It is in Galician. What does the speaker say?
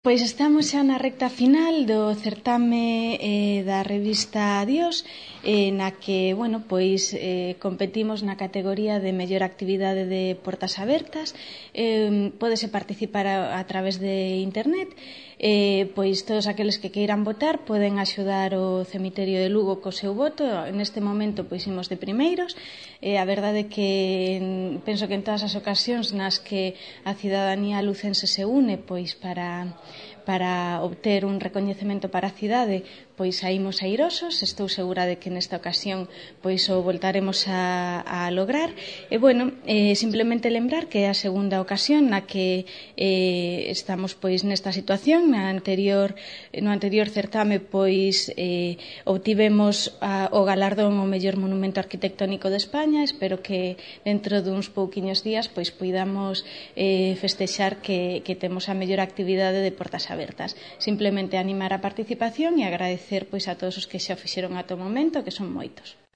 Pois estamos xa na recta final do certame da revista Adiós, na que, competimos na categoría de mellor actividade de portas abertas. Pódese participar a través de internet. Pois todos aqueles que queiran votar poden axudar o cemiterio de Lugo co seu voto. Neste momento pois imos de primeiros. A verdade é que penso que en todas as ocasións nas que a cidadanía lucense se une pois para obter un recoñecemento para a cidade, pois saímos airosos. Estou segura de que nesta ocasión pois o voltaremos a lograr. Simplemente lembrar que é a segunda ocasión na que estamos pois nesta situación. No anterior certame pois obtivemos o galardón ao mellor monumento arquitectónico de España. Espero que dentro duns pouquiños días pois poidamos festexar que temos a mellor actividade de portas abertas. Simplemente animar a participación e agradecer pois a todos os que xa o fixeron ata o momento, que son moitos.